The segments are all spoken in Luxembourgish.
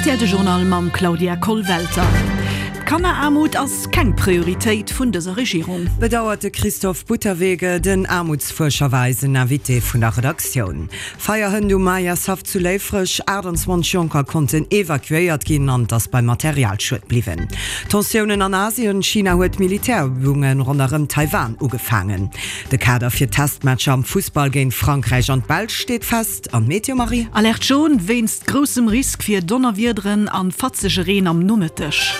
Rtl De Journal mam Claudia Kollwelter. D'Kanneraarmut ass keng Prioritéit vun dëser Regierung. Bedauert de Christoph Butterwege. Den Aarmutsfuerscher war eisen Invité vun der Redaktioun. Feierhënt um Majershaff zu Léifreg, 28 Jonker konnten evakuéiert ginn an et ass beim Materialschued bliwwen. Tensiounen an Asien, China huet Militärübunge ronderëm Taiwan ugefaangen. De Kader fir d'Testmatcher am Fussball géint Frankräich an d'Belsch steet fest. An d'Meteo, Marie? Alerte jaune wéinst groussem Risk fir Donnerwiederen an fatzege Reen am Nomëtteg.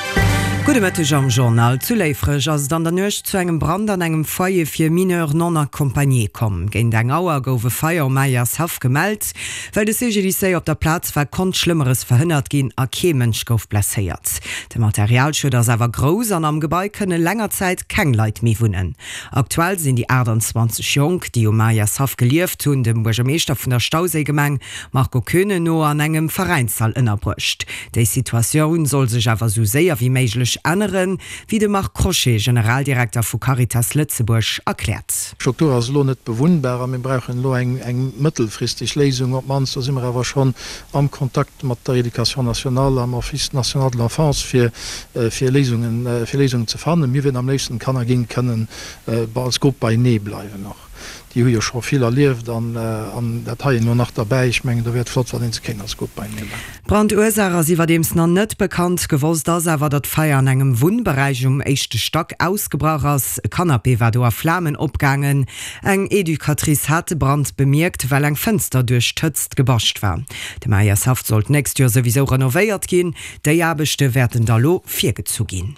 Gudde Mëtteg am Journal. Zu Léifreg ass et an der Nuecht zu engem Brand an engem Foyer fir Mineurs non accompagnés komm. Géint eng Auer gouf e Feier um Majershaff gemellt. Well de CGDIC op der Plaz war, konnt Schlëmmeres verhënnert ginn a kee Mënsch gouf blesséiert. De Materialschued ass awer grouss an am Gebai kënne länger Zäit keng Leit méi wunnen. Aktuell sinn déi 28 Jonk, déi um Majershaff gelieft hunn, dem Buergermeeschter vun der Stauséigemeng Marco Koeune no an engem Veräinshall ënnerbruecht. Déi Situatioun soll sech awer esou séier wéi méiglech änneren, wéi de Marc Crochet, Generaldirekter vu Caritas Lëtzebuerg, erkläert. D'Struktur ass elo net bewunnbar a mir brauchen elo eng mëttelfristeg Léisung. Op d'mannst, do si mer awer schonn am Kontakt mat der Éducation nationale am Office national de l'enfance, fir fir Léisungen, fir Léisungen ze fannen. Mir wieren am léifsten, d'Kanner géinge kënnen als Grupp beienee bleiwen och. Déi hu jo scho vill erlieft an an dat heien elo nach derbäi. Ech mengen, do wär et flott, wann ee se kéint als Grupp beienee bleiwen. D'Brandursaach ass iwwerdeems nach net bekannt. Gewosst ass awer, datt d'Feier an engem Wunnberäich um éischte Stack ausgebrach ass. E Canapé war do a Flamen opgaangen. Eng Educatrice hat de Brand bemierkt, well eng Fënster duerch d'Hëtzt gebascht war. De Majershaff soll d'nächst Joer souwisou renovéiert ginn. Déi Aarbechte wäerten da lo virgezu ginn.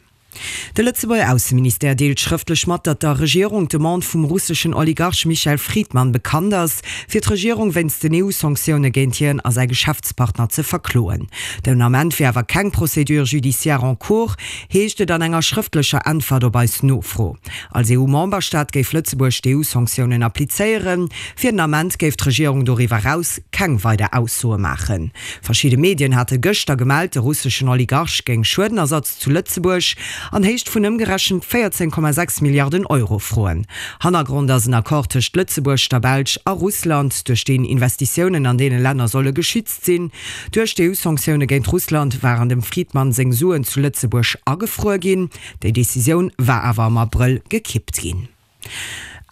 De Lëtzebuerger Ausseministère deelt schrëftlech mat, datt der Regierung d'Demande vum russeschen Oligarch Michael Fridman bekannt ass, fir d'Regierung wéinst den EU-Sanktioune géint hien a säi Geschäftspartner ze verkloen. Den Ament wier awer keng Procédure judiciaire en cours, heescht et an enger schrëftlecher Äntwert op eis Nofro. Als EU-Memberstaat géif Lëtzebuerg d'EU-Sanktiounen applizéieren. Fir den Ament géif d'Regierung doriwwer eraus keng weider Aussoe maachen. Verschidde Medien hate gëschter gemellt, de russeschen Oligarch géing Schuedenersatz zu Lëtzebuerg an Héicht vun ëmgerechent 14,6 Milliarden Euro froen. Hannergrond ass en Accord tëscht Lëtzebuerg, der Belsch a Russland, duerch deen Investitiounen an deene Länner solle geschützt sinn. Duerch d'EU-Sanktioune géint Russland waren dem Fridman seng Suen zu Lëtzebuerg agefruer ginn. Déi Decisioun war awer am Abrëll gekippt ginn.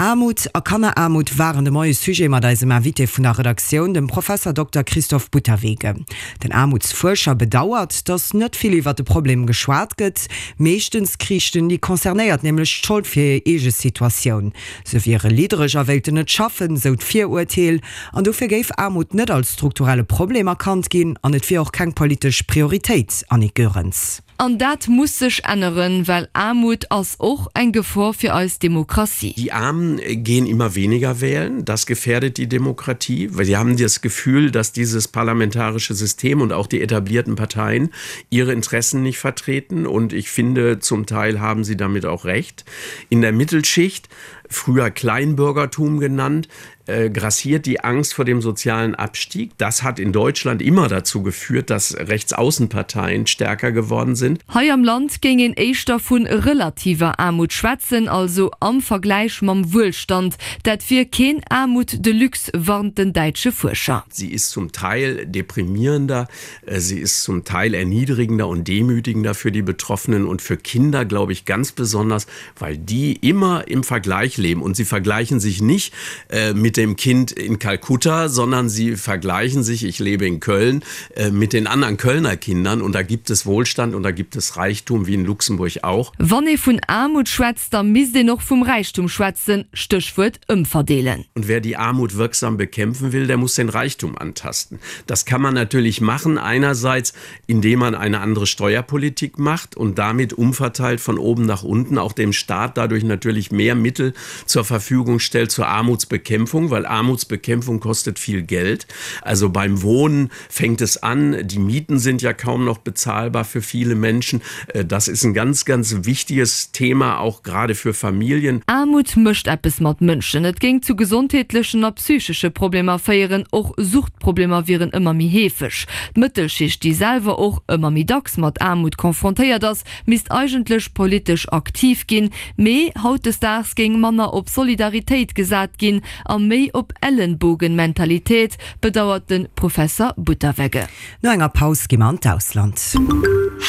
Aarmut a Kanneraarmut waren de Moie Sujet mat eisem Invité vun der Redaktioun, dem Professer Dokter Christoph Butterwege. Den Aarmutsfuerscher bedauert, datt net vill iwwer de Problem geschwat gëtt. Meeschtens kriichten déi Concernéiert nämlech d'Schold fir hir eege Situatioun. Se wiere liddereg a wéilten net schaffen, sou d'Virurteel. An dofir géif Aarmut net als strukturelle Problem erkannt ginn an et wier och keng politesch Prioritéit, Annick Goerens. An dat muss sech änneren, well Aarmut ass och eng Gefor fir eis Demokratie. Die Armen gehen immer weniger wählen, das gefährdet die Demokratie, weil sie haben das Gefühl, dass dieses parlamentarische System und auch die etablierten Parteien ihre Interessen nicht vertreten und ich finde, zum Teil haben sie damit auch recht. In der Mittelschicht, früher Kleinbürgertum genannt, äh, grassiert die Angst vor dem sozialen Abstieg. Das hat in Deutschland immer dazu geführt, dass Rechtsaußenparteien stärker geworden sind. Hei am Land géing een éischter vu relativer Aarmut schwätzen, also am Vergläich mam Wuelstand. Dat wier keen Aarmut de luxe, warnt den däitsche Fuerscher. Sie ist zum Teil deprimierender, äh, sie ist zum Teil erniedrigender und demütigender für die Betroffenen und für Kinder, glaube ich, ganz besonders, weil die immer im Vergleich leben und sie vergleichen sich nicht äh, mit dem Kind in Kalkutta, sondern sie vergleichen sich, ich lebe in Köln, äh, mit den anderen Kölner Kindern und da gibt es Wohlstand und da gibt es Reichtum wie in Luxemburg auch. Wann ee vun Aarmut schwätzt, da misst een och vum Räichtum schwätzen, Stéchwuert ëmverdeelen. Und wer die Armut wirksam bekämpfen will, der muss den Reichtum antasten. Das kann man natürlich machen einerseits, indem man eine andere Steuerpolitik macht und damit umverteilt von oben nach unten auch dem Staat dadurch natürlich mehr Mittel zur Verfügung stellt zur Armutsbekämpfung, weil Armutsbekämpfung kostet viel Geld. Also beim Wohnen fängt es an, die Mieten sind ja kaum noch bezahlbar für viele Menschen. Äh, das ist ein ganz, ganz wichtiges Thema auch gerade für Familien. Aarmut mécht eppes mat Mënschen. Et géing zu gesondheetlechen a psychesche Problemer féieren. Och Suchtproblemer wieren ëmmer méi heefeg. D'Mëttelschicht, déi selwer och ëmmer méi dacks mat Aarmut confrontéiert ass, misst eigentlech politesch aktiv ginn. Mee hautdesdaags géing manner op Solidaritéit gesat ginn a. méi op Ellenbogenmentalität, bedauert de Professer Butterwegge. No enger Paus gi mer an d'Ausland.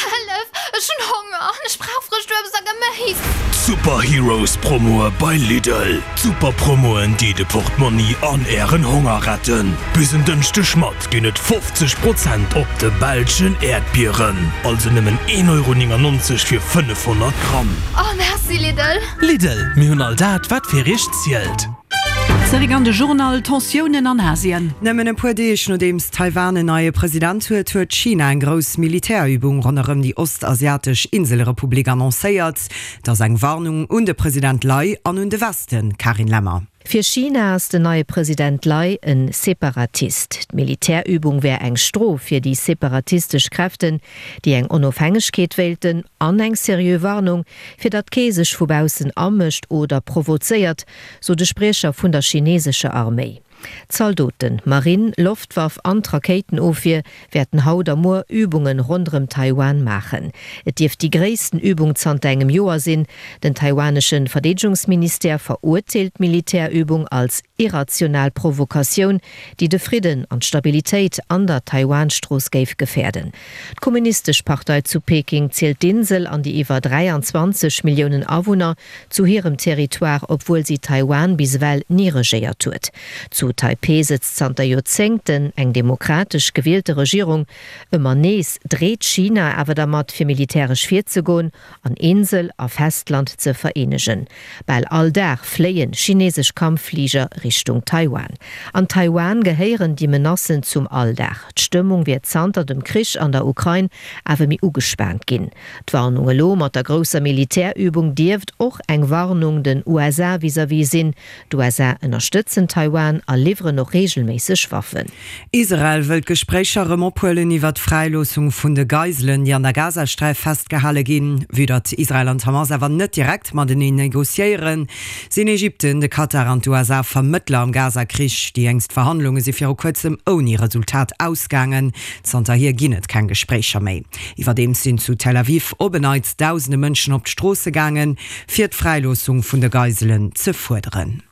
Hëllef, ech hunn Honger an ech brauch frëscht Uebst a Geméis! D'Super Heroes Promoe bei Lidl! D'Super Promoen déi de Portmonni an ären Honger retten! Bis en Dënschdeg mat ginn et 50 Prozent op de belschen Äerdbieren, also nëmmen 1,99 Euro fir 500 Gramm. Oh merci Lidl! Lidl, mir hunn all dat wat fir iech zielt. Zeréck an de Journal, Tensiounen an Asien. Nëmmen e puer Deeg nodeems Taiwan en neie President huet, huet China eng grouss Militärübung ronderëm déi ostasiatesch Inselrepublik annoncéiert. Et ass eng Warnung un de President Lai an un de Westen, Carine Lemmer. Fir China ass den neie President Lai e Separatist. D'Militärübung wär eng Strof fir déi separatistesch Kräften, déi eng Onofhängegkeet wéilten, an eng seriö Warnung, fir datt kee sech vu baussen amëscht oder provozéiert, sot e Spriecher vun der chinesescher Arméi. Zaldoten, Marinn, Loftwaff an d'Rakéitenofwier wäerten haut a muer Übunge ronderëm Taiwan maachen. Et dierft déi gréissten Übung zanter engem Joer sinn. Den taiwanesche Verdeedegungsministère verurteelt d'Militärübung als irrational Provokatioun, déi de Fridden an d'Stabilitéit an der Taiwan-Strooss géif gefäerden. D'Kommunistesch Partei zu Peking zielt d'Insel an déi iwwer 23 Milliounen Awunner zu hirem Territoire, obwuel si Taiwan bis ewell ni regéiert huet. Zu Taipeh sëtzt zanter Joerzéngten eng demokratesch gewielte Regierung. Ëmmer nees dreet China awer dermat, fir militäresch virzegoen an Insel a Festland ze vereenegen. Bal all Dag fléie chinesesch Kampffliger Richtung Taiwan. An Taiwan gehéieren déi Menacen zum Alldag. D'Stëmmung wier zanter dem Krich an der Ukrain awer méi ugespaant ginn. D'Warnung elo mat der grousser Militärübung dierft och eng Warnung den USA vis-à-vis sinn. D'USA ënnerstëtzen Taiwan a liwweren och reegelméisseg Waffen. Israel wëll d'Gespréicher erëm ophuelen iwwer d'Fräiloossung vun de Geiselen, déi an der Gazasträif festgehale ginn. Vue datt Israel an d'Hamas awer net direkt mateneen negociéieren, sinn Ägypten, de Katar an d'USA Vermëttler am Gaza-Krich. Déi jéngst Verhandlunge si viru kuerzem ouni Resultat ausgaangen. Zanterhier ginn et keng Gespréicher méi. Iwwerdeems sinn zu Tel Aviv op en Neits dausende Mënschen op d'Stroosse gaangen, fir d'Fräiloossung vun de Geiselen ze fuerderen.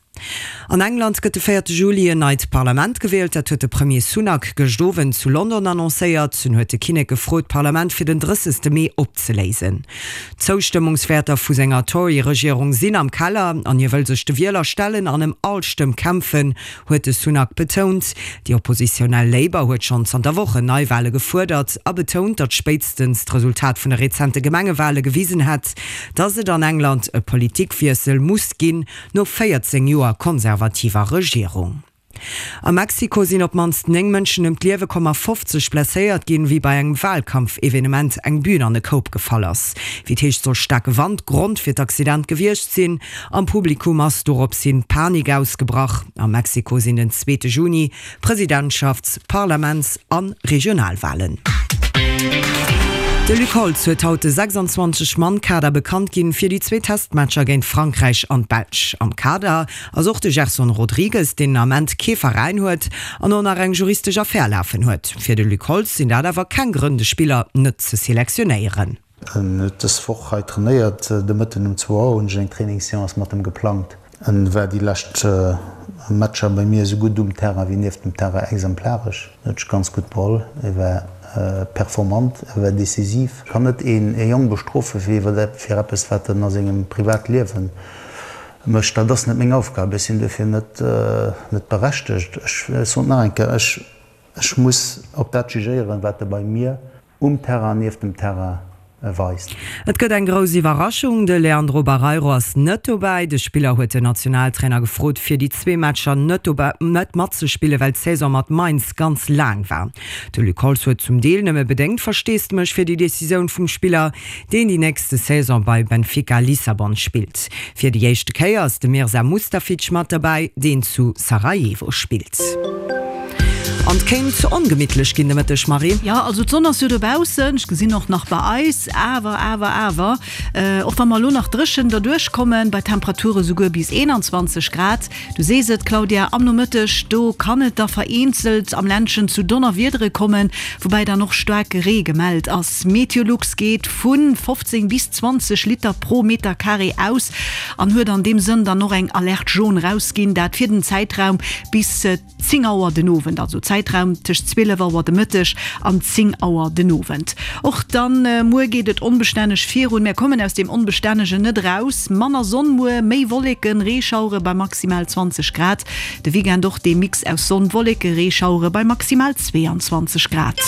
An England gëtt de véierte Juli en neit Parlament gewielt. Dat huet de Premier Sunak gëscht Owend zu London annoncéiert. En huet de Kinnek gefrot, d'Parlament fir den 30. Mee opzeléisen. D'Zoustëmmungswäerter vu senger Tory-Regierung sinn am Keller an hie wëll sech de Wieler stellen an ëm all Stëmm kämpfen, huet de Sunak betount. Déi oppositionell Labour huet schonn zanter Wochen Neiwale gefuerdert a betount, datt spéitstens d'Resultat vun de rezente Gemengewale gewisen hätt, datt et an England e Politikwiessel muss ginn, no 14 Joer konservativer Regierung. A Mexiko sinn op d'mannst 9 Mënschen ëm d'Liewe komm a 50 blesséiert ginn, wéi bei engem Walkampfevenement eng Bün an e Koup gefall ass. Wéi et heescht, soll staarke Wand Grond fir d'Accident gewiescht sinn. Am Publikum ass dorops hin Panik ausgebrach. A Mexiko sinn den zweete Juni Presidentschafts-, Parlaments a Regionalwalen. De Luc Holtz huet haut de 26 Mann Kader bekannt ginn fir déi zwee Testmatcher géint Frankräich an d'Belsch. Am Kader ass och de Gerson Rodrigues, deen den Ament kee Veräin huet an och nach eng juristesch Affär lafen huet. Fir de Luc Holtz sinn dat awer keng Grënn de Spiller net ze selektionéieren. En huet dës Woch hei trainéiert. De Mëtten um zwou Auer hunn ech eng Trainingsseance mat em geplangt. En war déi lescht Matcher bei mir esou gutt um Terrain wéi nieft dem Terrain exemplaresch. En huet sech ganz gutt beholl, e war performant, e war decisiv. Ech kann net een Jong bestrofe fir eppes wat en a sengem Privatliewe mécht. Dat ass net meng Aufgab, ech sinn duerfir net berechtegt. Ech soen et nach eng Kéier, ech muss op dat jugéieren, wat e bei mir Um Terrain, nieft dem Terrain weist. Et gëtt eng grouss Iwwerraschung, De Leandro Barreiro ass net dobäi. De Spiller huet den Nationaltrainer gefrot, fir déi zwee Matcher net net matzespillen, well d'Saison mat Mainz ganz laang war. De Luc Holtz huet zum Deel nëmme bedéngt Versteesdemech fir déi Decisioun vum Spiller, deen déi nächste Saison bei Benfica Lissabon spillt. Fir déi éischte Kéier ass de Mirza Mustafic mat derbäi, deen zu Sarajevo spillt. Kéint ongemittlech ginn de Mëtteg, Marie. Jo, also d'Sonn ass jo dobaussen, ech gesinn och nach bei eis, awer, awer, awer, och wa mer elo nach dréchen derduerch kommen, bei Temperature souguer bis 21 Grad, du sees et, Claudia, am Nomëtteg, do kann et da vereenzelt am Ländchen zu Donnerwiedere kommen, woubäi dann och staarke Ree gemellt ass. Meteolux geet vu 15 bis 20 Liter pro Metercarré aus an huet an deem Sënn dann och eng Alerte jaune rausginn, dat fir den Zäitraum bis 10 Auer den Owend, also Zäitraum tëscht 12 Auer de Mëtteg an 10 Auer den Owend. Och dann muer geet et onbestänneg virun, mär kommen aus deem Onbestännegen net eraus. Manner Sonn muer, méi Wolleken, Reeschauere bei maximal 20 Grad. De Weekend och dee Mix aus Sonn, Wolleke, Reeschauere bei maximal 22 Grad.